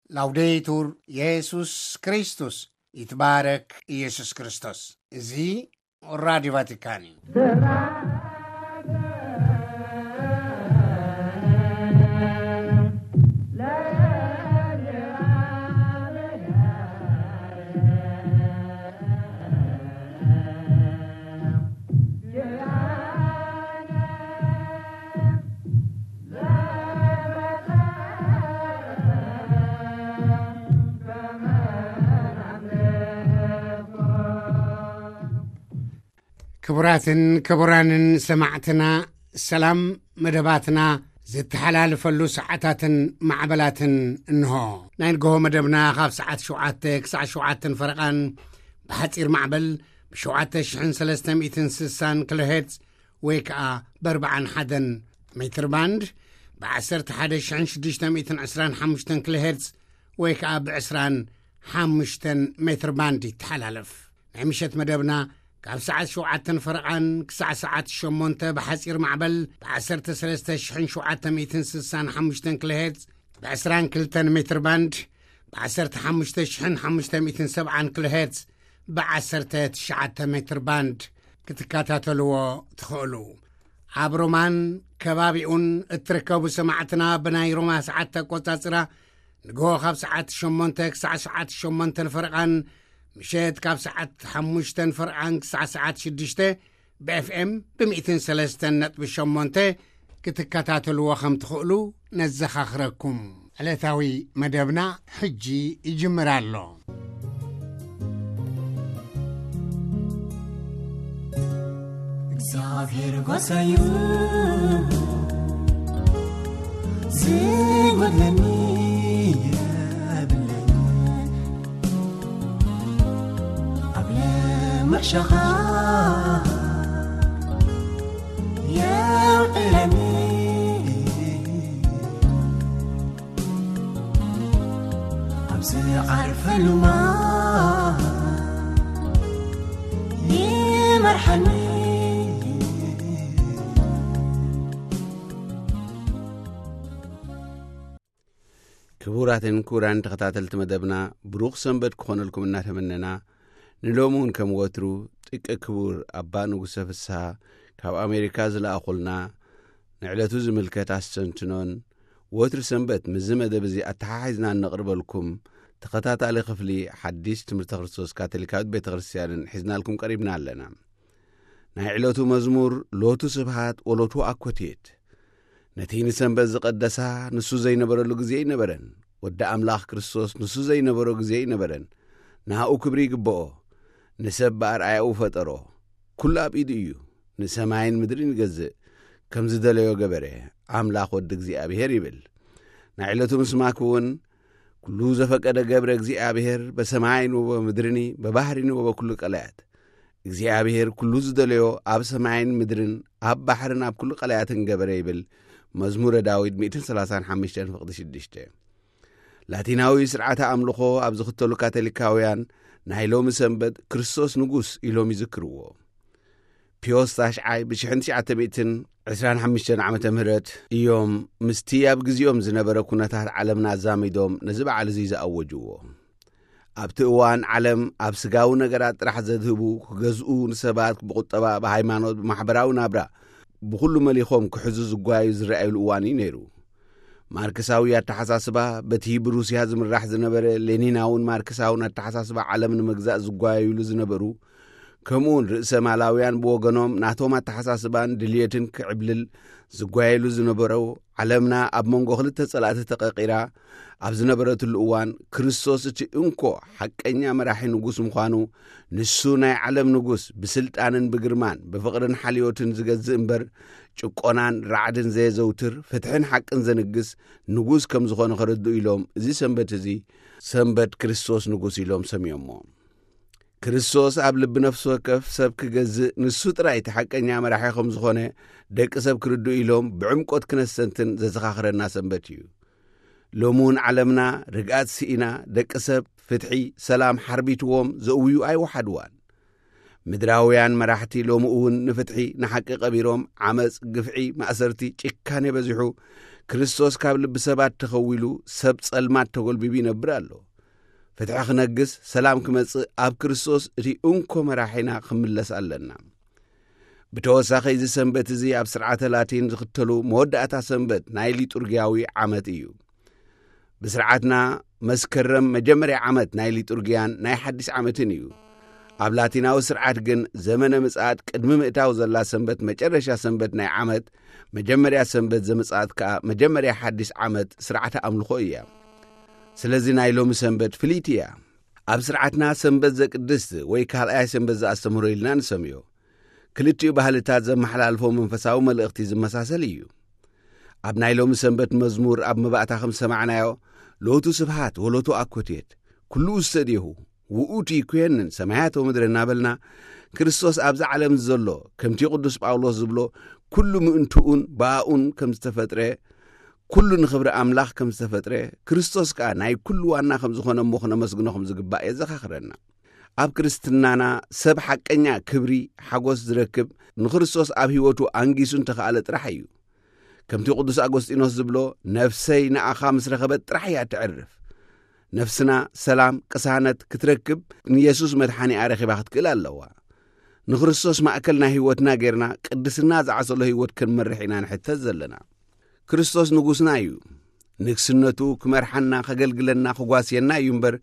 ላውዴቱር የሱስ ክርስቶስ፣ ይትባረክ ኢየሱስ ክርስቶስ። እዚ ራዲዮ ቫቲካን እዩ። ክቡራትን ክቡራንን ሰማዕትና፣ ሰላም። መደባትና ዝተሓላልፈሉ ሰዓታትን ማዕበላትን እንሆ። ናይ ንግሆ መደብና ካብ ሰዓት ሸውዓተ ክሳዕ ሸውዓተን ፈረቓን ብሓጺር ማዕበል ብ7360 ኪሎ ሄርትዝ ወይ ከኣ ብ41 ሜትር ባንድ፣ ብ11625 ኪሎ ሄርትዝ ወይ ከኣ ብ25 ሜትር ባንድ ይተሓላለፍ። ናይ ምሸት መደብና ካብ ሰዓት ሸውዓተን ፈረቓን ክሳዕ ሰዓት ሸሞንተ ብሓጺር ማዕበል ብ13765 ኪሎ ሄርትዝ፣ ብ22 ሜትር ባንድ ብ15570 ኪሎ ሄርትዝ፣ ብ199 ሜትር ባንድ ክትከታተልዎ ትኽእሉ። ኣብ ሮማን ከባቢኡን እትርከቡ ሰማዕትና፣ ብናይ ሮማ ሰዓት ኣቆጻጽራ ንግሆ ካብ ሰዓት ሸሞንተ ክሳዕ ሰዓት ሸሞንተን ፈረቓን፣ ምሸት ካብ ሰዓት ሓሙሽተን ፈረቓን ክሳዕ ሰዓት ሽዱሽተ ብ ኤፍ ኤም ብ103.8 ክትከታተልዎ ከም ትኽእሉ ነዘኻኽረኩም። ዕለታዊ መደብና ሕጂ ይጅምር ኣሎ። እግዚኣብሔር ጓሳዩ፣ ዝጎድለኒ የብለይን። ኣብ ለምሕሸኻ የውዕለኒ፣ ኣብ ዝዓርፈሉ ማይ ይመርሓኒ። ክቡራትን ክቡራን ተኸታተልቲ መደብና፣ ብሩኽ ሰንበት ክኾነልኩም እናተመነና፣ ንሎሚ እውን ከም ወትሩ ጥቀ ክቡር ኣባ ንጉሰ ፍስሃ ካብ ኣሜሪካ ዝለኣኹልና ንዕለቱ ዝምልከት ኣስተንትኖን፣ ወትሪ ሰንበት ምስዚ መደብ እዚ ኣተሓሒዝና እነቕርበልኩም ተኸታታሊ ክፍሊ ሓዲስ ትምህርተ ክርስቶስ ካቶሊካዊት ቤተ ክርስቲያንን ሒዝናልኩም ቀሪብና ኣለና። ናይ ዕለቱ መዝሙር፣ ሎቱ ስብሃት ወሎቱ ኣኮቴት። ነቲ ንሰንበት ዝቐደሳ ንሱ ዘይነበረሉ ግዜ ኣይነበረን። ወዲ ኣምላኽ ክርስቶስ ንሱ ዘይነበሮ ግዜ ኣይነበረን። ንኣኡ ክብሪ ይግብኦ። ንሰብ ብኣርኣያኡ ፈጠሮ። ኩሉ ኣብ ኢዱ እዩ። ንሰማይን ምድርን ይገዝእ። ከም ዝደለዮ ገበረ። ኣምላኽ ወዲ እግዚኣብሔር ይብል። ናይ ዕለቱ ምስማክ እውን፣ ኩሉ ዘፈቀደ ገብረ እግዚኣብሔር በሰማይን ወበምድርኒ በባህሪኒ ወበኩሉ ቀላያት። እግዚኣብሔር ኩሉ ዝደለዮ ኣብ ሰማይን ምድርን ኣብ ባሕርን ኣብ ኩሉ ቀላያትን ገበረ ይብል መዝሙረ ዳዊት ሚእትን ሰላሳን ሓሙሽተን ፍቕዲ ሽዱሽተ። ላቲናዊ ስርዓተ ኣምልኾ ኣብ ዝኽተሉ ካቶሊካውያን ናይ ሎሚ ሰንበት ክርስቶስ ንጉስ ኢሎም ይዝክርዎ። ፒዮስ ታሽዓይ ብሽሕን ትሽዓተ ሚእትን ዕስራን ሓሙሽተን ዓመተ ምህረት እዮም ምስቲ ኣብ ግዜኦም ዝነበረ ኩነታት ዓለምና ኣዛሚዶም ነዚ በዓል እዚ ዝኣወጅዎ። ኣብቲ እዋን ዓለም ኣብ ስጋዊ ነገራት ጥራሕ ዘድህቡ፣ ክገዝኡ፣ ንሰባት ብቁጠባ፣ ብሃይማኖት፣ ብማሕበራዊ ናብራ ብኹሉ መሊኾም ክሕዙ ዝጓዩ ዝረኣዩሉ እዋን እዩ ነይሩ። ማርክሳዊ ኣተሓሳስባ በቲ ብሩስያ ዝምራሕ ዝነበረ ሌኒናውን ማርክሳውን ኣተሓሳስባ ዓለም ንምግዛእ ዝጓየዩሉ ዝነበሩ፣ ከምኡውን ርእሰ ማላውያን ብወገኖም ናቶም ኣተሓሳስባን ድልየትን ክዕብልል ዝጓየሉ ዝነበረው ዓለምና ኣብ መንጎ ክልተ ጸላእቲ ተቐቒራ ኣብ ዝነበረትሉ እዋን፣ ክርስቶስ እቲ እንኮ ሓቀኛ መራሒ ንጉስ ምዃኑ፣ ንሱ ናይ ዓለም ንጉስ ብስልጣንን ብግርማን ብፍቕርን ሓልዮትን ዝገዝእ እምበር፣ ጭቆናን ራዕድን ዘየዘውትር፣ ፍትሕን ሓቅን ዘንግስ ንጉስ ከም ዝኾነ ከረድኡ ኢሎም፣ እዚ ሰንበት እዚ ሰንበት ክርስቶስ ንጉስ ኢሎም ሰምዮሞ። ክርስቶስ ኣብ ልቢ ነፍሲ ወከፍ ሰብ ክገዝእ፣ ንሱ ጥራይ እቲ ሓቀኛ መራሒ ከም ዝኾነ ደቂ ሰብ ክርድኡ ኢሎም ብዕምቆት ክነስተንትን ዘዘኻኽረና ሰንበት እዩ። ሎሚ እውን ዓለምና ርግኣት ስኢና፣ ደቂ ሰብ ፍትሒ፣ ሰላም ሓርቢትዎም ዘእውዩ ኣይወሓድዋን። ምድራውያን መራሕቲ ሎሚ እውን ንፍትሒ፣ ንሓቂ ቀቢሮም፣ ዓመጽ፣ ግፍዒ፣ ማእሰርቲ፣ ጭካኔ በዚሑ፣ ክርስቶስ ካብ ልቢ ሰባት ተኸዊሉ፣ ሰብ ጸልማት ተጎልቢቡ ይነብር ኣሎ። ፍትሒ ክነግስ፣ ሰላም ክመጽእ፣ ኣብ ክርስቶስ እቲ እንኮ መራሒና ክምለስ ኣለና። ብተወሳኺ፣ እዚ ሰንበት እዚ ኣብ ስርዓተ ላቲን ዝኽተሉ መወዳእታ ሰንበት ናይ ሊጡርጊያዊ ዓመት እዩ። ብስርዓትና፣ መስከረም መጀመርያ ዓመት ናይ ሊጡርጊያን ናይ ሓድሽ ዓመትን እዩ። ኣብ ላቲናዊ ስርዓት ግን፣ ዘመነ ምጽኣት ቅድሚ ምእታው ዘላ ሰንበት፣ መጨረሻ ሰንበት ናይ ዓመት፣ መጀመርያ ሰንበት ዘምጽኣት ከኣ መጀመርያ ሓድሽ ዓመት ስርዓተ ኣምልኾ እያ። ስለዚ፣ ናይ ሎሚ ሰንበት ፍልይቲ እያ። ኣብ ስርዓትና፣ ሰንበት ዘቅድስት ወይ ካልኣይ ሰንበት ዘኣስተምህሮ ኢልና ንሰምዮ። ክልቲኡ ባህልታት ዘመሓላልፎ መንፈሳዊ መልእኽቲ ዝመሳሰል እዩ። ኣብ ናይ ሎሚ ሰንበት መዝሙር፣ ኣብ መባእታ ከም ዝሰማዕናዮ፣ ሎቱ ስብሃት ወሎቱ ኣኮቴት፣ ኩሉ ውሰድየሁ፣ ውኡቲ ይኩየንን ሰማያት ወምድሪ እናበልና፣ ክርስቶስ ኣብዚ ዓለም ዘሎ፣ ከምቲ ቅዱስ ጳውሎስ ዝብሎ፣ ኩሉ ምእንትኡን ብኣኡን ከም ዝተፈጥረ፣ ኩሉ ንኽብሪ ኣምላኽ ከም ዝተፈጥረ፣ ክርስቶስ ከኣ ናይ ኩሉ ዋና ከም ዝኾነ እሞ ክነመስግኖ ከም ዝግባእ የዘኻኽረና። ኣብ ክርስትናና፣ ሰብ ሓቀኛ ክብሪ፣ ሓጎስ ዝረክብ፣ ንክርስቶስ ኣብ ህይወቱ ኣንጊሱ እንተኸኣለ ጥራሕ እዩ። ከምቲ ቅዱስ ኣጎስጢኖስ ዝብሎ፣ ነፍሰይ ንኣኻ ምስ ረኸበት ጥራሕ እያ እተዕርፍ። ነፍስና ሰላም፣ ቅሳነት ክትረክብ፣ ንየሱስ መድሓኒኣ ረኺባ ክትክእል ኣለዋ። ንክርስቶስ ማእከል ናይ ህይወትና ጌርና፣ ቅድስና ዝዓሰሎ ህይወት ክንመርሕ ኢና ንሕተት ዘለና። ክርስቶስ ንጉስና እዩ። ንግስነቱ ክመርሓና፣ ከገልግለና፣ ክጓስየና እዩ እምበር፣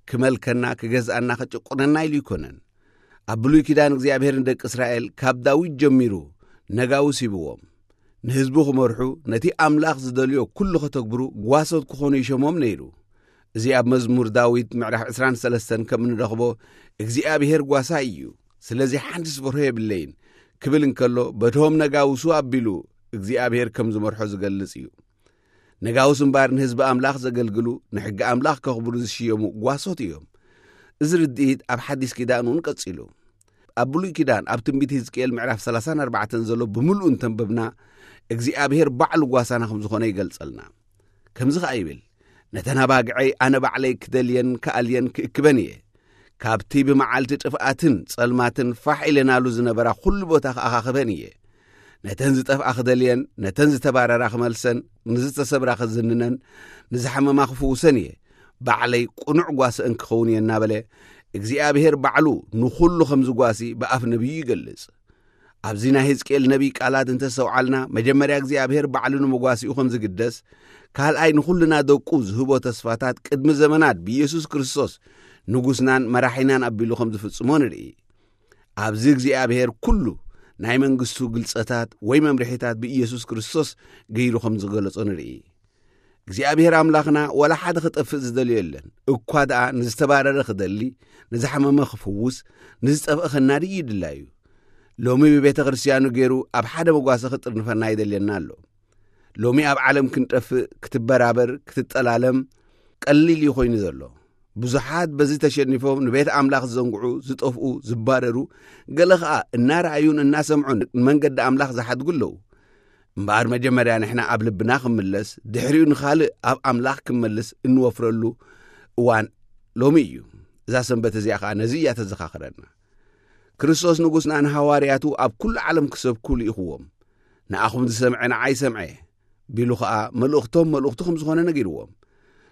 ክመልከና፣ ክገዝኣና፣ ክጭቁነና ኢሉ ኣይኮነን። ኣብ ብሉይ ኪዳን፣ እግዚኣብሔር ንደቂ እስራኤል ካብ ዳዊት ጀሚሩ ነጋውስ ሂብዎም። ንህዝቡ ክመርሑ፣ ነቲ ኣምላኽ ዝደልዮ ኩሉ ከተግብሩ ጓሶት ክኾኑ ይሸሞም ነይሩ። እዚ ኣብ መዝሙር ዳዊት ምዕራፍ ዕስራን ሰለስተን ከም እንረኽቦ፣ እግዚኣብሔር ጓሳይ እዩ፣ ስለዚ ሓንቲስ ፍርሆ የብለይን ክብል እንከሎ፣ በቶም ነጋውሱ ኣቢሉ እግዚኣብሔር ከም ዝመርሖ ዝገልጽ እዩ። ነጋውስ እምበኣር ንህዝቢ ኣምላኽ ዘገልግሉ፣ ንሕጊ ኣምላኽ ከኽብሩ ዝሽየሙ ጓሶት እዮም። እዚ ርድኢት ኣብ ሓዲስ ኪዳን እውን ቀጺሉ። ኣብ ብሉይ ኪዳን፣ ኣብ ትንቢት ህዝቅኤል ምዕራፍ ሰላሳን ኣርባዕተን ዘሎ ብምሉኡ እንተንበብና፣ እግዚኣብሔር ባዕሉ ጓሳና ከም ዝኾነ ይገልጸልና። ከምዚ ኸኣ ይብል፣ "ነተን ኣባግዐይ ኣነ ባዕለይ ክደልየን ክኣልየን ክእክበን እየ። ካብቲ ብመዓልቲ ጥፍኣትን ጸልማትን ፋሕ ኢለናሉ ዝነበራ ኹሉ ቦታ ክኣኻኽበን እየ። ነተን ዝጠፍኣ ክደልየን፣ ነተን ዝተባረራ ክመልሰን፣ ንዝተሰብራ ክዝንነን፣ ንዝሓመማ ክፍውሰን እየ። ባዕለይ ቅኑዕ ጓስአን ክኸውን እየ" እናበለ፣ እግዚኣብሔር ባዕሉ ንኹሉ ከም ዝጓሲ ብኣፍ ነቢዩ ይገልጽ። ኣብዚ ናይ ህዝቅኤል ነቢይ ቃላት እንተስተውዓልና፣ መጀመርያ እግዚኣብሔር ባዕሉ ንመጓሲኡ ከም ዝግደስ፣ ካልኣይ ንኹልና ደቁ ዝህቦ ተስፋታት ቅድሚ ዘመናት ብኢየሱስ ክርስቶስ ንጉስናን መራሒናን ኣቢሉ ከም ዝፍጽሞ ንርኢ። ኣብዚ እግዚኣብሔር ኩሉ ናይ መንግስቱ ግልጸታት ወይ መምርሒታት ብኢየሱስ ክርስቶስ ገይሩ ከም ዝገለጾ ንርኢ። እግዚኣብሔር ኣምላኽና ዋላ ሓደ ክጠፍእ ዝደልዮ የለን። እኳ ደኣ ንዝተባረረ ክደሊ፣ ንዝሓመመ ክፍውስ፣ ንዝጠፍአ ከናዲ እዩ ድላዩ። ሎሚ ብቤተ ክርስትያኑ ገይሩ ኣብ ሓደ መጓሰ ክጥርንፈና ይደልየና ኣሎ። ሎሚ ኣብ ዓለም ክንጠፍእ፣ ክትበራበር፣ ክትጠላለም ቀሊል እዩ ኮይኑ ዘሎ። ብዙሓት በዚ ተሸኒፎም ንቤት ኣምላኽ ዝዘንግዑ፣ ዝጠፍኡ፣ ዝባረሩ፣ ገለ ኸኣ እናረኣዩን እናሰምዑን ንመንገዲ ኣምላኽ ዝሓድጉ ኣለዉ። እምበኣር መጀመርያ ንሕና ኣብ ልብና ክምለስ፣ ድሕሪኡ ንኻልእ ኣብ ኣምላኽ ክመልስ እንወፍረሉ እዋን ሎሚ እዩ። እዛ ሰንበት እዚኣ ኸኣ ነዚ እያ ተዘኻኽረና። ክርስቶስ ንጉስና ንሃዋርያቱ ኣብ ኩሉ ዓለም ክሰብኩ ልኢኽዎም። "ንኣኹም ዝሰምዐ ንዓይ ሰምዐ" ቢሉ ኸኣ መልእኽቶም መልእኽቱ ከም ዝኾነ ነጊርዎም።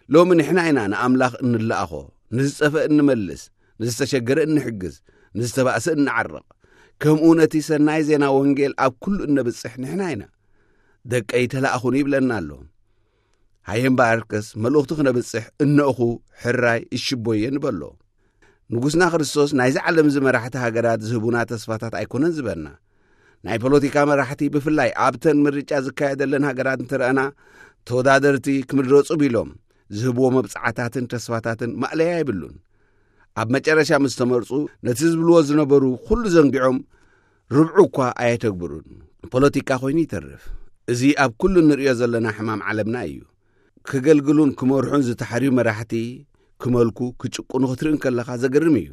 ሎሚ ንሕና ኢና ንኣምላኽ እንለኣኾ፣ ንዝጠፍአ እንመልስ፣ ንዝተሸገረ እንሕግዝ፣ ንዝተባእሰ እንዓርቕ። ከምኡ ነቲ ሰናይ ዜና ወንጌል ኣብ ኩሉ እነብጽሕ ንሕና ኢና። "ደቀይ ተላእኹኒ" ይብለና ኣሎ። ሃየ እምበኣርከስ መልእኽቱ ክነብጽሕ እነእኹ ሕራይ እሽቦየ ንበሎ። ንጉስና ክርስቶስ ናይዚ ዓለም እዚ መራሕቲ ሃገራት ዝህቡና ተስፋታት ኣይኮነን ዝበና። ናይ ፖለቲካ መራሕቲ ብፍላይ ኣብተን ምርጫ ዝካየደለን ሃገራት እንተረኣና፣ ተወዳደርቲ ክምረጹ ቢሎም ዝህብዎ መብጽዓታትን ተስፋታትን ማእለያ የብሉን። ኣብ መጨረሻ ምስ ተመርጹ ነቲ ዝብልዎ ዝነበሩ ኩሉ ዘንጊዖም ርብዑ እኳ ኣየተግብሩን። ፖለቲካ ኮይኑ ይተርፍ። እዚ ኣብ ኩሉ እንርእዮ ዘለና ሕማም ዓለምና እዩ። ክገልግሉን ክመርሑን ዝተሓርዩ መራሕቲ ክመልኩ፣ ክጭቁኑ ክትርኢ እንከለኻ ዘገርም እዩ።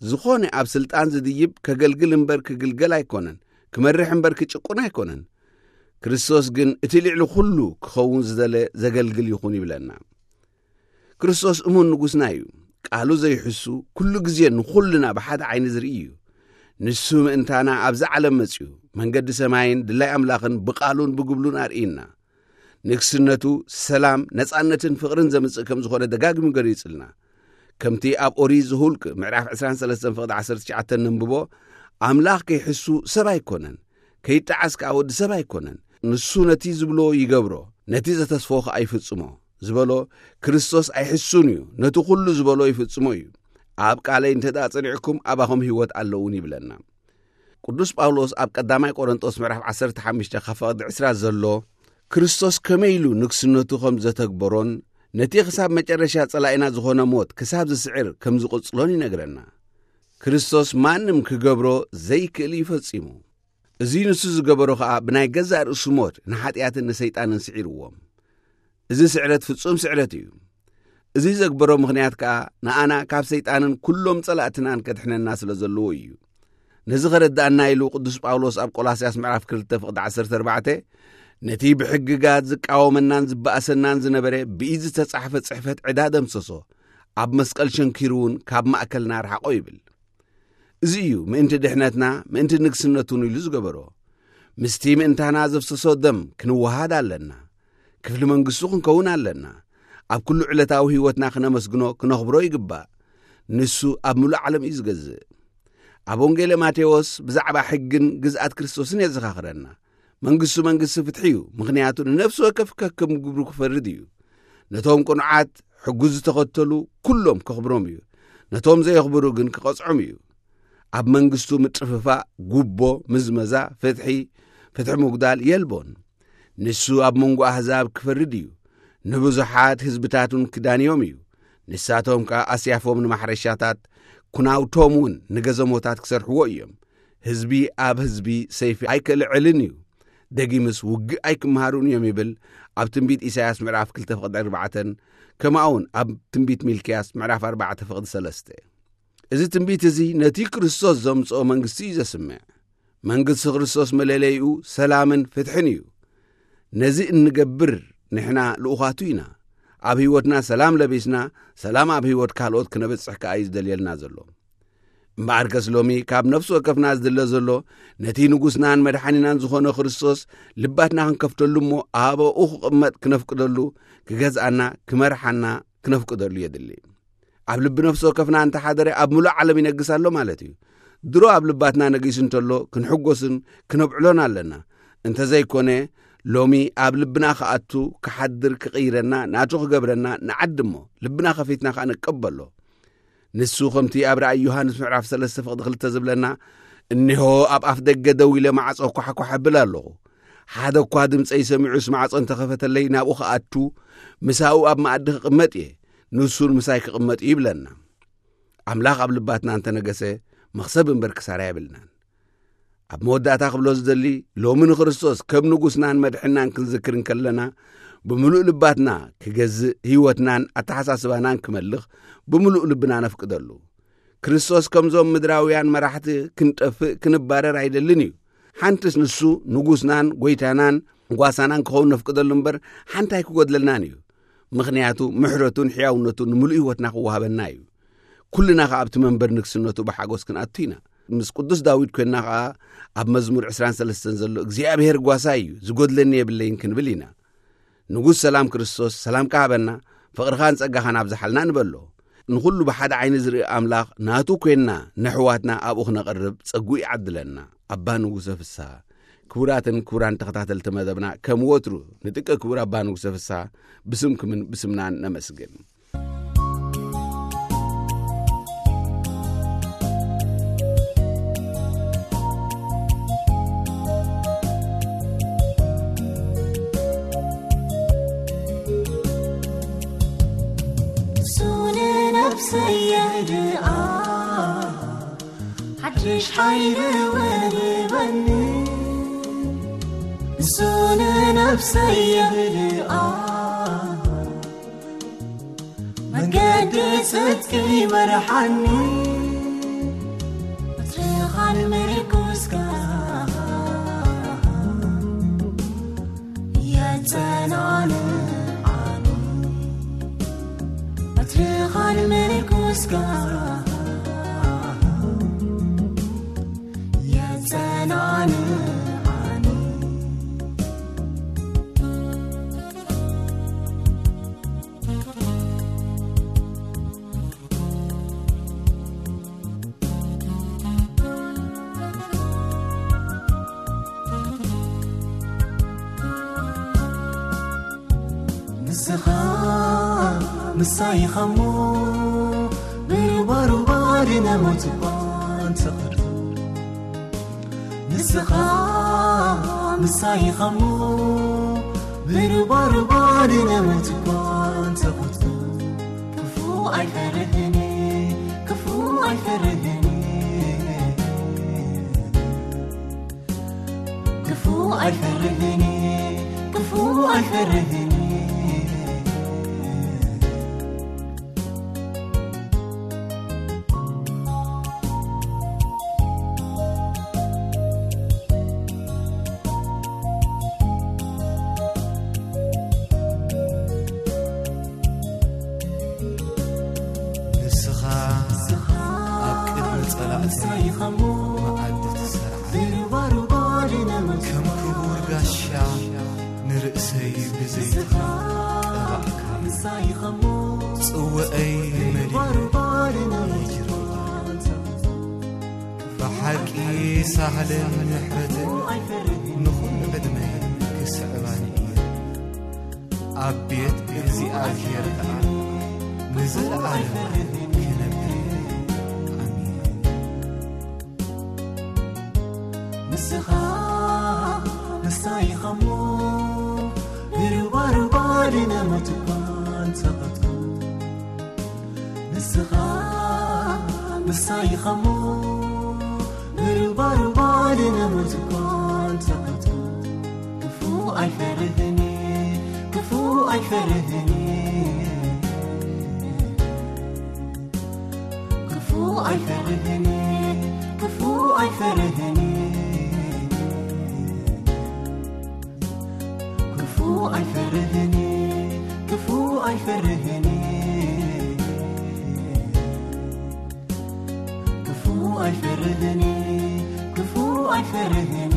ዝኾነ ኣብ ስልጣን ዝድይብ ከገልግል እምበር ክግልገል ኣይኮነን፣ ክመርሕ እምበር ክጭቁን ኣይኮነን። ክርስቶስ ግን እቲ ልዕሊ ኩሉ ክኸውን ዝደለ ዘገልግል ይኹን ይብለና። ክርስቶስ እሙን ንጉስና እዩ። ቃሉ ዘይሕሱ፣ ኩሉ ግዜ ንኹልና ብሓደ ዓይኒ ዝርኢ እዩ። ንሱ ምእንታና ኣብዚ ዓለም መጺኡ፣ መንገዲ ሰማይን ድላይ ኣምላኽን ብቃሉን ብግብሉን ኣርእይና። ንግስነቱ ሰላም፣ ነጻነትን ፍቕርን ዘምጽእ ከም ዝኾነ ደጋጊሙ ገሊጹልና። ከምቲ ኣብ ኦሪት ዘኍልቍ ምዕራፍ ዕስራን ሰለስተን ፍቕዲ ዓሰርተ ትሽዓተ ነንብቦ፣ ኣምላኽ ከይሕሱ ሰብ ኣይኮነን፣ ከይጠዓስ ከኣ ወዲ ሰብ ኣይኮነን። ንሱ ነቲ ዝብሎ ይገብሮ፣ ነቲ ዘተስፎ ከኣ ይፍጽሞ ዝበሎ፣ ክርስቶስ ኣይሕሱን እዩ፣ ነቲ ኩሉ ዝበሎ ይፍጽሞ እዩ። ኣብ ቃለይ እንተ ደኣ ጸኒዕኩም፣ ኣባኹም ህይወት ኣለውን ይብለና። ቅዱስ ጳውሎስ ኣብ ቀዳማይ ቆሮንጦስ ምዕራፍ ዓሰርተ ሓሙሽተ ካብ ፍቕዲ ዕስራ ዘሎ፣ ክርስቶስ ከመይ ኢሉ ንግስነቱ ከም ዘተግበሮን ነቲ ክሳብ መጨረሻ ጸላኢና ዝኾነ ሞት ክሳብ ዝስዕር ከም ዝቕጽሎን ይነግረና። ክርስቶስ ማንም ክገብሮ ዘይክእል እዩ ፈጺሙ። እዚ ንሱ ዝገበሮ ኸኣ ብናይ ገዛእ ርእሱ ሞት ንሓጢኣትን ንሰይጣንን ስዒርዎም። እዚ ስዕረት ፍጹም ስዕረት እዩ። እዚ ዘግበሮ ምኽንያት ከኣ ንኣና ካብ ሰይጣንን ኩሎም ጸላእትናን ከድሕነና ስለ ዘለዎ እዩ። ነዚ ኸረድኣና ኢሉ ቅዱስ ጳውሎስ ኣብ ቆላስያስ ምዕራፍ ክልተ ፍቕዲ ዓሰርተ ኣርባዕተ፣ ነቲ ብሕግጋት ዝቃወመናን ዝበኣሰናን ዝነበረ ብኢድ ዝተጻሕፈ ጽሕፈት ዕዳ ደምሰሶ፣ ኣብ መስቀል ሸንኪሩ እውን ካብ ማእከልና ርሓቖ ይብል። እዚ እዩ ምእንቲ ድሕነትና፣ ምእንቲ ንግስነቱን ኢሉ ዝገበሮ። ምስቲ ምእንታና ዘፍሰሶ ደም ክንወሃድ ኣለና። ክፍሊ መንግስቱ ክንከውን ኣለና። ኣብ ኩሉ ዕለታዊ ህይወትና ክነመስግኖ፣ ክነኽብሮ ይግባእ። ንሱ ኣብ ምሉእ ዓለም እዩ ዝገዝእ። ኣብ ወንጌለ ማቴዎስ ብዛዕባ ሕግን ግዝኣት ክርስቶስን የዘኻኽረና። መንግስቱ መንግስቲ ፍትሒ እዩ፣ ምኽንያቱ ንነፍሲ ወከፍ ከከም ግብሩ ክፈርድ እዩ። ነቶም ቅኑዓት ሕጉ ዝተኸተሉ ኩሎም ከኽብሮም እዩ፣ ነቶም ዘየኽብሩ ግን ክቐጽዖም እዩ። ኣብ መንግስቱ ምጥፍፋእ፣ ጉቦ፣ ምዝመዛ፣ ፍትሒ፣ ፍትሒ ምጉዳል የልቦን። ንሱ ኣብ መንጎ ኣህዛብ ክፈርድ እዩ፣ ንብዙሓት ህዝብታት እውን ክዳንዮም እዩ። ንሳቶም ከኣ ኣስያፎም ንማሕረሻታት፣ ኩናውቶም እውን ንገዘሞታት ክሰርሕዎ እዮም። ህዝቢ ኣብ ህዝቢ ሰይፊ ኣይክልዕልን እዩ፣ ደጊምስ ውግእ ኣይክምሃሩን እዮም ይብል ኣብ ትንቢት ኢሳያስ ምዕራፍ ክልተ ፍቕዲ ኣርባዕተን፣ ከምኡ እውን ኣብ ትንቢት ሚልክያስ ምዕራፍ ኣርባዕተ ፍቕዲ ሰለስተ። እዚ ትንቢት እዚ ነቲ ክርስቶስ ዘምጽኦ መንግስቲ እዩ ዘስምዕ። መንግስቲ ክርስቶስ መለለይኡ ሰላምን ፍትሕን እዩ። ነዚ እንገብር ንሕና ልኡኻቱ ኢና። ኣብ ህይወትና ሰላም ለቢስና፣ ሰላም ኣብ ህይወት ካልኦት ክነበጽሕ ከኣ እዩ ዝደልየልና ዘሎ። እምበኣርከስ ሎሚ ካብ ነፍሲ ወከፍና ዝድለ ዘሎ፣ ነቲ ንጉስናን መድሓኒናን ዝኾነ ክርስቶስ ልባትና ክንከፍተሉ እሞ፣ ኣብኡ ክቕመጥ ክነፍቅደሉ፣ ክገዝኣና፣ ክመርሓና ክነፍቅደሉ የድሊ። ኣብ ልቢ ነፍሲ ወከፍና እንተሓደረ፣ ኣብ ምሉእ ዓለም ይነግስ ኣሎ ማለት እዩ። ድሮ ኣብ ልባትና ነጊሱ እንተሎ፣ ክንሕጎስን ክነብዕሎን ኣለና። እንተዘይኮነ፣ ሎሚ ኣብ ልብና ክኣቱ፣ ክሓድር፣ ክቕይረና፣ ናቱ ክገብረና ንዓድሞ፣ ልብና ከፊትና ከኣ ንቀበሎ። ንሱ ከምቲ ኣብ ራእይ ዮሃንስ ምዕራፍ ሰለስተ ፍቕዲ ክልተ ዝብለና፣ "እነሆ ኣብ ኣፍ ደገ ደው ኢለ ማዕጾ ኳሕኳሕ እብል ኣለኹ። ሓደ እኳ ድምጸይ ሰሚዑስ ማዕጾ እንተኸፈተለይ ናብኡ ክኣቱ፣ ምሳኡ ኣብ መኣዲ ክቕመጥ እየ፣ ንሱን ምሳይ ክቕመጥ እዩ" ይብለና። ኣምላኽ ኣብ ልባትና እንተነገሰ፣ መኽሰብ እምበር ክሳራ የብልናን። ኣብ መወዳእታ ክብሎ ዝደሊ፣ ሎሚ ንክርስቶስ ከም ንጉስናን መድሕናን ክንዝክር እንከለና፣ ብምሉእ ልባትና ክገዝእ፣ ህይወትናን ኣተሓሳስባናን ክመልኽ ብምሉእ ልብና ነፍቅደሉ። ክርስቶስ ከምዞም ምድራውያን መራሕቲ ክንጠፍእ፣ ክንባረር ኣይደልን እዩ። ሓንትስ ንሱ ንጉስናን ጐይታናን ጓሳናን ክኸውን ነፍቅደሉ እምበር፣ ሓንቲ ኣይክጎድለልናን እዩ። ምኽንያቱ ምሕረቱን ሕያውነቱን ንምሉእ ህይወትና ክወሃበና እዩ። ኩልና ኸኣ ኣብቲ መንበር ንግስነቱ ብሓጎስ ክንኣቱ ኢና። ምስ ቅዱስ ዳዊት ኮይንና ኸኣ ኣብ መዝሙር ዕስራን ሰለስተን ዘሎ፣ "እግዚኣብሔር ጓሳይ እዩ፣ ዝጎድለኒ የብለይን" ክንብል ኢና። ንጉስ ሰላም ክርስቶስ፣ ሰላምካ ሃበና፣ ፍቕርኻን ጸጋኻን ኣብዝሓልና ንበሎ። ንኹሉ ብሓደ ዓይኒ ዝርኢ ኣምላኽ ናቱ ኮይንና፣ ነሕዋትና ኣብኡ ክነቕርብ ጸግኡ ይዓድለና። ኣባ ንጉሰ ፍስሃ። ክቡራትን ክቡራን ተኸታተልቲ መደብና፣ ከም ወትሩ ንጥቀ ክቡር ኣባ ንጉሰ ፍስሃ ብስምኩምን ብስምናን ነመስግን። እሱ ንነፍሰይ የህድኣ፣ ሓድሽ ሓይሊ ወህበኒ። እሱ ንነፍሰይ የህድኣ፣ መገዲ ጽድቂ ይመርሓኒ። በትርኻን ምርኩስካ የጸናንዓኒ። በትርኻን ምርኩስካ የጸናንዓኒ። ንስኻ ምሳይ ኸሞ ብሩባሩባ ድነ ሞት እኳ እንተቐርብ፣ ንስኻ ምሳይ ኸሞ ብሩባሩባ ድነ ሞት እኳ እንተቐርብ፣ ክፉ ኣይፈርህን፣ ክፉ ኣይፈርህን። ክፉ ኣይፈርህን፣ ክፉ ኣይፈርህን። ንስኻ ኣብ ቅድሚ ጸላእተይ መኣዲ ትሰርዓኒ። ከም ክቡር ጋሻ ንርእሰይ ብዘይቲ ቀባእካኒ። ጽውዐይ መሊኡ ይጅርባ። ብሓቂ ሳህልን ምሕረትን ንኹሉ ዕድመይ ክስዕባኒ እዩ። ኣብ ቤት እግዚኣብሔር ከኣ ንዘለዓለም ክነብር እየ። ኣሜን። ንስኻ ንሳይ ኸሞ ብሩባሩባ ድነ ሞት እኳ እንተቐትኩ፣ ንስኻ ምሳይ ኸሞ ብሩባሩባ ድነ ሞት እኳ እንተቐትኩ፣ ክፉ ኣይፈርህን፣ ክፉ ኣይፈርህን። ክፉ ኣይፈርህን፣ ክፉ ኣይፈርህን። ክፉ ኣይፈርህን፣ ክፉ ኣይፈርህን። ክፉ ኣይፈርህን፣ ክፉ ኣይፈርህን።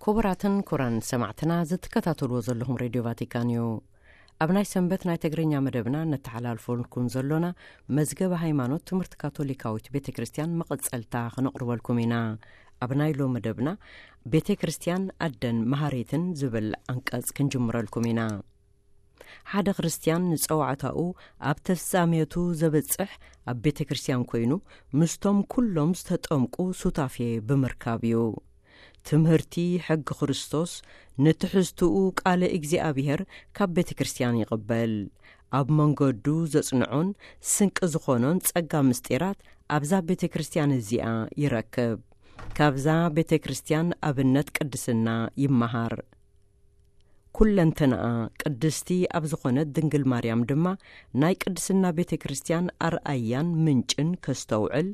ክቡራትን ክቡራን ሰማዕትና፣ ዝትከታተልዎ ዘለኹም ሬድዮ ቫቲካን እዩ። ኣብ ናይ ሰንበት ናይ ትግርኛ መደብና ነተሓላልፈልኩም ዘሎና መዝገበ ሃይማኖት ትምህርቲ ካቶሊካዊት ቤተ ክርስቲያን መቐጸልታ ክነቕርበልኩም ኢና። ኣብ ናይ ሎ መደብና ቤተ ክርስቲያን ኣደን መሃሪትን ዝብል ኣንቀጽ ክንጅምረልኩም ኢና። ሓደ ክርስትያን ንጸዋዕታኡ ኣብ ተፍጻሜቱ ዘበጽሕ ኣብ ቤተ ክርስቲያን ኮይኑ፣ ምስቶም ኩሎም ዝተጠምቁ ሱታፌ ብምርካብ እዩ። ትምህርቲ ሕጊ ክርስቶስ ንትሕዝትኡ ቃለ እግዚኣብሔር ካብ ቤተ ክርስቲያን ይቕበል። ኣብ መንገዱ ዘጽንዖን ስንቂ ዝኾኖን ጸጋ ምስጢራት ኣብዛ ቤተ ክርስቲያን እዚኣ ይረክብ። ካብዛ ቤተ ክርስቲያን ኣብነት ቅድስና ይመሃር። ኩለንተናኣ ቅድስቲ ኣብ ዝኾነት ድንግል ማርያም ድማ ናይ ቅድስና ቤተ ክርስቲያን ኣርኣያን ምንጭን ከስተውዕል፣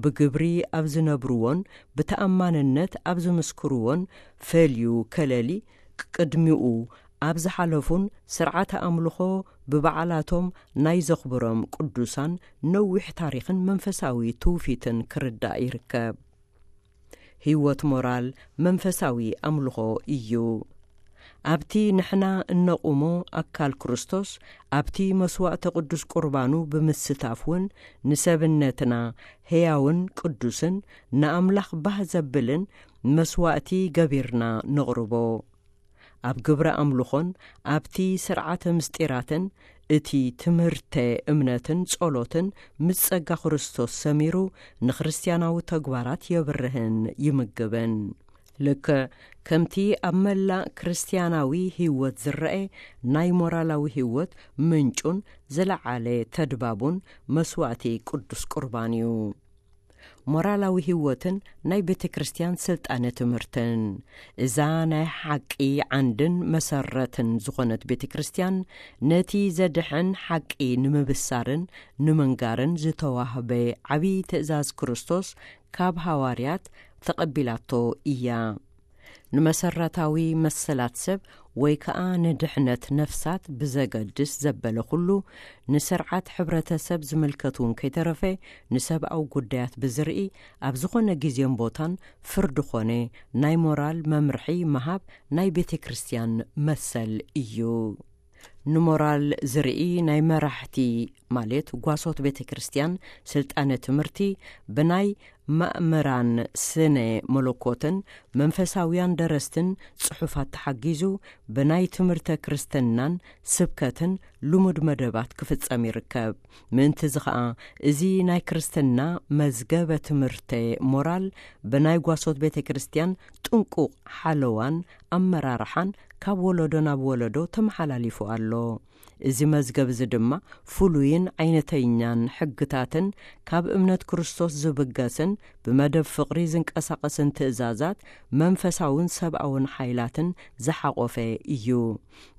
ብግብሪ ኣብ ዝነብርዎን ብተኣማንነት ኣብ ዝምስክርዎን ፈልዩ ከለሊ፣ ቅድሚኡ ኣብ ዝሓለፉን ስርዓተ ኣምልኾ ብበዓላቶም ናይ ዘኽብሮም ቅዱሳን ነዊሕ ታሪኽን መንፈሳዊ ትውፊትን ክርዳእ ይርከብ። ህይወት ሞራል መንፈሳዊ ኣምልኾ እዩ። ኣብቲ ንሕና እነቑሞ ኣካል ክርስቶስ፣ ኣብቲ መስዋእተ ቅዱስ ቁርባኑ ብምስታፍ እውን ንሰብነትና ሕያውን ቅዱስን ንኣምላኽ ባህ ዘብልን መስዋእቲ ገቢርና ነቕርቦ። ኣብ ግብረ ኣምልኾን ኣብቲ ስርዓተ ምስጢራትን እቲ ትምህርተ እምነትን ጸሎትን ምስ ጸጋ ክርስቶስ ሰሚሩ ንክርስትያናዊ ተግባራት የብርህን ይምግብን። ልክዕ ከምቲ ኣብ መላእ ክርስትያናዊ ህይወት ዝረአ ናይ ሞራላዊ ህይወት ምንጩን ዝለዓለ ተድባቡን መስዋእቲ ቅዱስ ቁርባን እዩ። ሞራላዊ ህይወትን ናይ ቤተ ክርስቲያን ስልጣነ ትምህርትን። እዛ ናይ ሓቂ ዓንድን መሰረትን ዝኾነት ቤተ ክርስቲያን ነቲ ዘድሕን ሓቂ ንምብሳርን ንምንጋርን ዝተዋህበ ዓብዪ ትእዛዝ ክርስቶስ ካብ ሃዋርያት ተቐቢላቶ እያ። ንመሰረታዊ መሰላት ሰብ ወይ ከኣ ንድሕነት ነፍሳት ብዘገድስ ዘበለ ኩሉ፣ ንስርዓት ሕብረተሰብ ዝምልከት እውን ከይተረፈ፣ ንሰብኣዊ ጉዳያት ብዝርኢ፣ ኣብ ዝኾነ ግዜን ቦታን ፍርዲ ኾነ ናይ ሞራል መምርሒ ምሃብ ናይ ቤተ ክርስቲያን መሰል እዩ። ንሞራል ዝርኢ ናይ መራሕቲ፣ ማለት ጓሶት ቤተ ክርስቲያን፣ ስልጣነ ትምህርቲ ብናይ ማእምራን ስነ መለኮትን መንፈሳውያን ደረስትን ጽሑፋት ተሓጊዙ፣ ብናይ ትምህርተ ክርስትናን ስብከትን ልሙድ መደባት ክፍጸም ይርከብ። ምእንቲ እዚ ኸኣ፣ እዚ ናይ ክርስትና መዝገበ ትምህርተ ሞራል ብናይ ጓሶት ቤተ ክርስቲያን ጥንቁቕ ሓለዋን ኣመራርሓን ካብ ወለዶ ናብ ወለዶ ተመሓላሊፉ ኣሎ። እዚ መዝገብ እዚ ድማ ፍሉይን ዓይነተኛን ሕግታትን ካብ እምነት ክርስቶስ ዝብገስን ብመደብ ፍቕሪ ዝንቀሳቐስን ትእዛዛት መንፈሳውን ሰብኣውን ሓይላትን ዝሓቖፈ እዩ።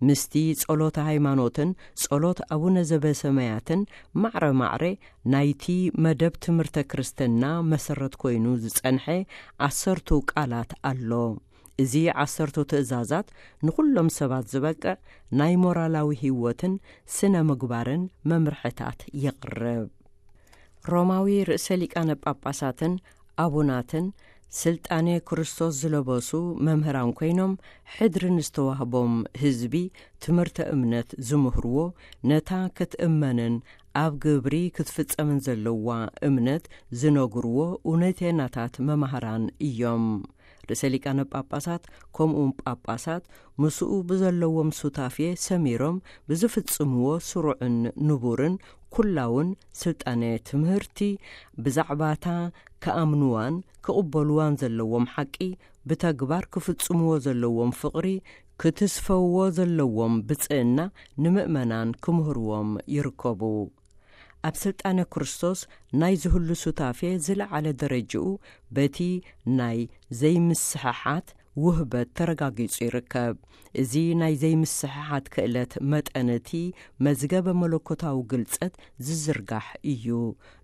ምስቲ ጸሎተ ሃይማኖትን ጸሎት ኣቡነ ዘበሰማያትን ማዕረ ማዕረ ናይቲ መደብ ትምህርተ ክርስትና መሰረት ኮይኑ ዝጸንሐ ዓሰርቱ ቃላት ኣሎ። እዚ ዓሰርቱ ትእዛዛት ንኹሎም ሰባት ዝበቅዕ ናይ ሞራላዊ ህይወትን ስነ ምግባርን መምርሕታት የቕርብ። ሮማዊ ርእሰ ሊቃነ ጳጳሳትን ኣቡናትን ስልጣኔ ክርስቶስ ዝለበሱ መምህራን ኮይኖም፣ ሕድሪ ንዝተዋህቦም ህዝቢ ትምህርተ እምነት ዝምህርዎ፣ ነታ ክትእመንን ኣብ ግብሪ ክትፍጸምን ዘለዋ እምነት ዝነግርዎ እውነተናታት መማህራን እዮም። ርእሰ ሊቃነ ጳጳሳት ከምኡውን ጳጳሳት ምስኡ ብዘለዎም ሱታፌ ሰሚሮም ብዝፍጽምዎ ስሩዕን ንቡርን ኩላውን ስልጣነ ትምህርቲ፣ ብዛዕባታ ክኣምንዋን ክቕበልዋን ዘለዎም ሓቂ ብተግባር ክፍጽምዎ ዘለዎም ፍቕሪ፣ ክትስፈውዎ ዘለዎም ብጽእና ንምእመናን ክምህርዎም ይርከቡ። ኣብ ስልጣነ ክርስቶስ ናይ ዝህሉ ሱታፌ ዝለዓለ ደረጅኡ በቲ ናይ ዘይምስሕሓት ውህበት ተረጋጊጹ ይርከብ። እዚ ናይ ዘይምስሕሓት ክእለት መጠን እቲ መዝገበ መለኮታዊ ግልጸት ዝዝርጋሕ እዩ።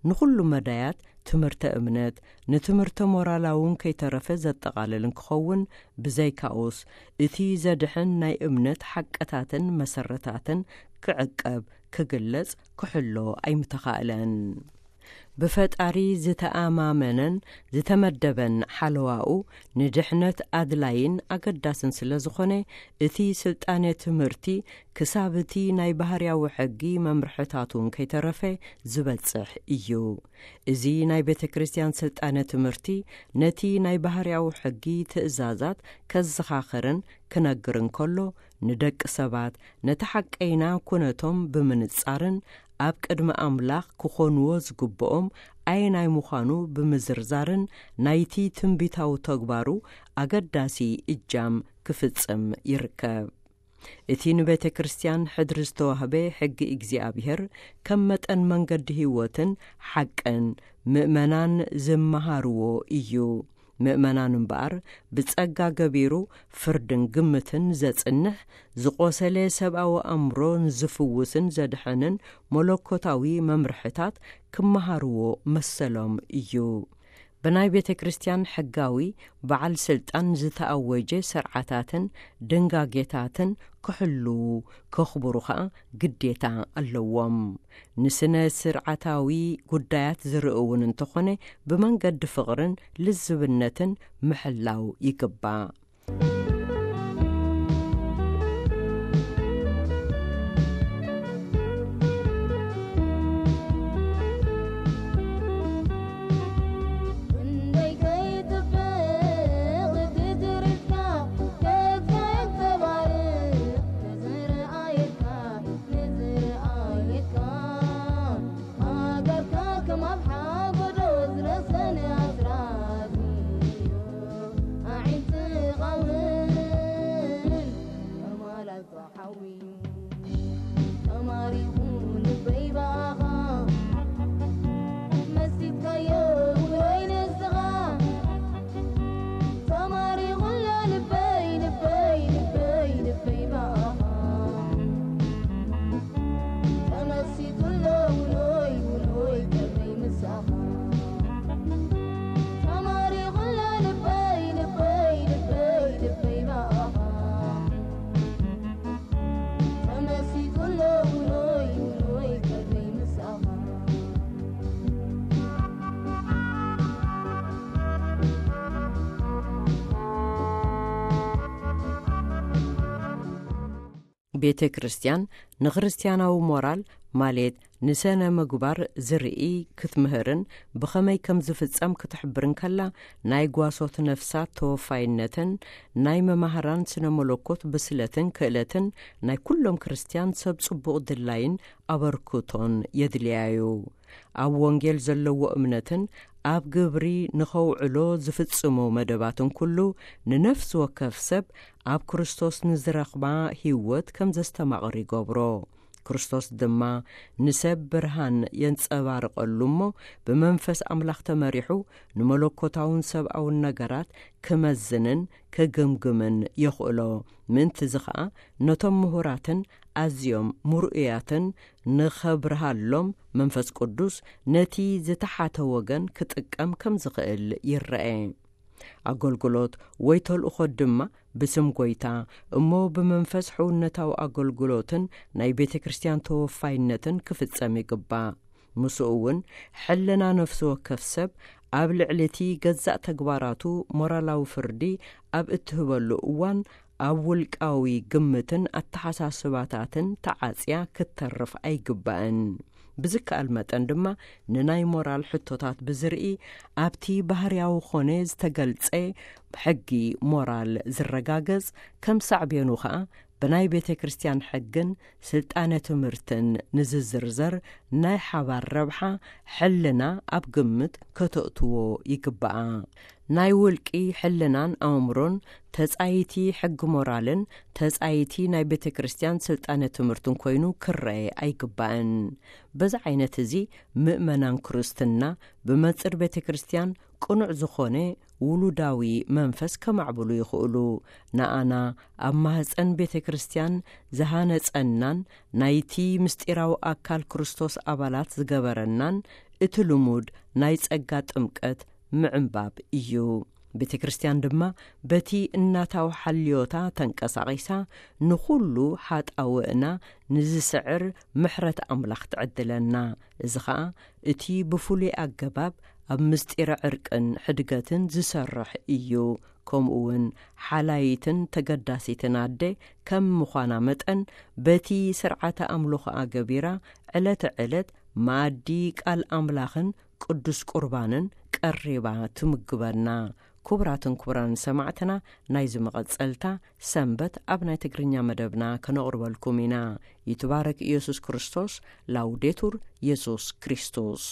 ንኹሉ መዳያት ትምህርተ እምነት፣ ንትምህርተ ሞራላውን ከይተረፈ ዘጠቓልል እንክኸውን፣ ብዘይካኡስ እቲ ዘድሕን ናይ እምነት ሓቅታትን መሰረታትን ክዕቀብ፣ ክግለጽ፣ ክሕሎ ኣይምተኻእለን። ብፈጣሪ ዝተኣማመነን ዝተመደበን ሓለዋኡ ንድሕነት ኣድላይን ኣገዳስን ስለ ዝኾነ፣ እቲ ስልጣነ ትምህርቲ ክሳብ እቲ ናይ ባህርያዊ ሕጊ መምርሕታቱን ከይተረፈ ዝበጽሕ እዩ። እዚ ናይ ቤተ ክርስቲያን ስልጣነ ትምህርቲ ነቲ ናይ ባህርያዊ ሕጊ ትእዛዛት ከዘኻኽርን ክነግርን ከሎ፣ ንደቂ ሰባት ነቲ ሓቀይና ኩነቶም ብምንጻርን ኣብ ቅድሚ ኣምላኽ ክኾንዎ ዝግብኦም ኣየናይ ምዃኑ ብምዝርዛርን ናይቲ ትንቢታዊ ተግባሩ ኣገዳሲ እጃም ክፍጽም ይርከብ። እቲ ንቤተ ክርስቲያን ሕድሪ ዝተዋህበ ሕጊ እግዚኣብሔር ከም መጠን መንገዲ ህይወትን ሓቅን ምእመናን ዝመሃርዎ እዩ። ምእመናን እምበኣር ብጸጋ ገቢሩ ፍርድን ግምትን ዘጽንሕ፣ ዝቖሰለ ሰብኣዊ ኣእምሮ ንዝፍውስን ዘድሕንን መለኮታዊ መምርሕታት ክመሃርዎ መሰሎም እዩ። ብናይ ቤተ ክርስቲያን ሕጋዊ በዓል ስልጣን ዝተኣወጀ ስርዓታትን ድንጋጌታትን ክሕልዉ፣ ከኽብሩ ኸኣ ግዴታ ኣለዎም። ንስነ ስርዓታዊ ጉዳያት ዝርኢ እውን እንተኾነ፣ ብመንገዲ ፍቕርን ልዝብነትን ምሕላው ይግባእ። ቤተ ክርስቲያን ንክርስቲያናዊ ሞራል ማለት ንሰነ ምግባር ዝርኢ ክትምህርን ብኸመይ ከም ዝፍጸም ክትሕብርን ከላ፣ ናይ ጓሶት ነፍሳት ተወፋይነትን ናይ መማህራን ስነ መለኮት ብስለትን ክእለትን ናይ ኩሎም ክርስቲያን ሰብ ጽቡቕ ድላይን ኣበርክቶን የድልያዩ። ኣብ ወንጌል ዘለዎ እምነትን ኣብ ግብሪ ንኸውዕሎ ዝፍጽሞ መደባትን ኩሉ ንነፍሲ ወከፍ ሰብ ኣብ ክርስቶስ ንዝረኽባ ህይወት ከም ዘስተማቕር ይገብሮ። ክርስቶስ ድማ ንሰብ ብርሃን የንጸባርቐሉ እሞ፣ ብመንፈስ ኣምላኽ ተመሪሑ ንመለኮታውን ሰብኣውን ነገራት ክመዝንን ክግምግምን የኽእሎ። ምእንቲ እዚ ኸኣ ነቶም ምሁራትን ኣዝዮም ምርኡያትን ንኸብርሃሎም መንፈስ ቅዱስ ነቲ ዝተሓተ ወገን ክጥቀም ከም ዝኽእል ይረአ። ኣገልግሎት ወይ ተልእኾ ድማ ብስም ጎይታ እሞ ብመንፈስ ሕውነታዊ ኣገልግሎትን ናይ ቤተ ክርስቲያን ተወፋይነትን ክፍጸም ይግባእ። ምስኡ እውን ሕልና ነፍሲ ወከፍ ሰብ ኣብ ልዕሊ እቲ ገዛእ ተግባራቱ ሞራላዊ ፍርዲ ኣብ እትህበሉ እዋን ኣብ ውልቃዊ ግምትን ኣተሓሳስባታትን ተዓጽያ ክትተርፍ ኣይግባእን። ብዝከኣል መጠን ድማ ንናይ ሞራል ሕቶታት ብዝርኢ ኣብቲ ባህርያዊ ኾነ ዝተገልጸ ሕጊ ሞራል ዝረጋገጽ ከም ሳዕቤኑ ኸኣ ብናይ ቤተ ክርስቲያን ሕግን ስልጣነ ትምህርትን ንዝዝርዘር ናይ ሓባር ረብሓ ሕልና ኣብ ግምት ከተእትዎ ይግባኣ። ናይ ውልቂ ሕልናን ኣእምሮን ተጻይቲ ሕጊ ሞራልን ተጻይቲ ናይ ቤተ ክርስቲያን ስልጣነ ትምህርትን ኮይኑ ክረአ ኣይግባእን። በዚ ዓይነት እዚ ምእመናን ክርስትና ብመጽር ቤተ ክርስቲያን ቅኑዕ ዝኾነ ውሉዳዊ መንፈስ ከማዕብሉ ይኽእሉ። ንኣና ኣብ ማህፀን ቤተ ክርስቲያን ዝሃነጸናን ናይቲ ምስጢራዊ ኣካል ክርስቶስ ኣባላት ዝገበረናን እቲ ልሙድ ናይ ጸጋ ጥምቀት ምዕንባብ እዩ። ቤተ ክርስቲያን ድማ በቲ እናታዊ ሓልዮታ ተንቀሳቒሳ ንኹሉ ሓጣውእና ንዝስዕር ምሕረት ኣምላኽ ትዕድለና። እዚ ኸኣ እቲ ብፍሉይ ኣገባብ ኣብ ምስጢረ ዕርቅን ሕድገትን ዝሰርሕ እዩ። ከምኡ እውን ሓላይትን ተገዳሲትን ኣደ ከም ምዃና መጠን በቲ ስርዓተ ኣምልኾኣ ገቢራ ዕለተ ዕለት መኣዲ ቃል ኣምላኽን ቅዱስ ቁርባንን ቀሪባ ትምግበና። ክቡራትን ክቡራን ሰማዕትና፣ ናይዚ መቐጸልታ ሰንበት ኣብ ናይ ትግርኛ መደብና ከነቕርበልኩም ኢና። ይትባረክ ኢየሱስ ክርስቶስ። ላውዴቱር ኢየሱስ ክርስቶስ።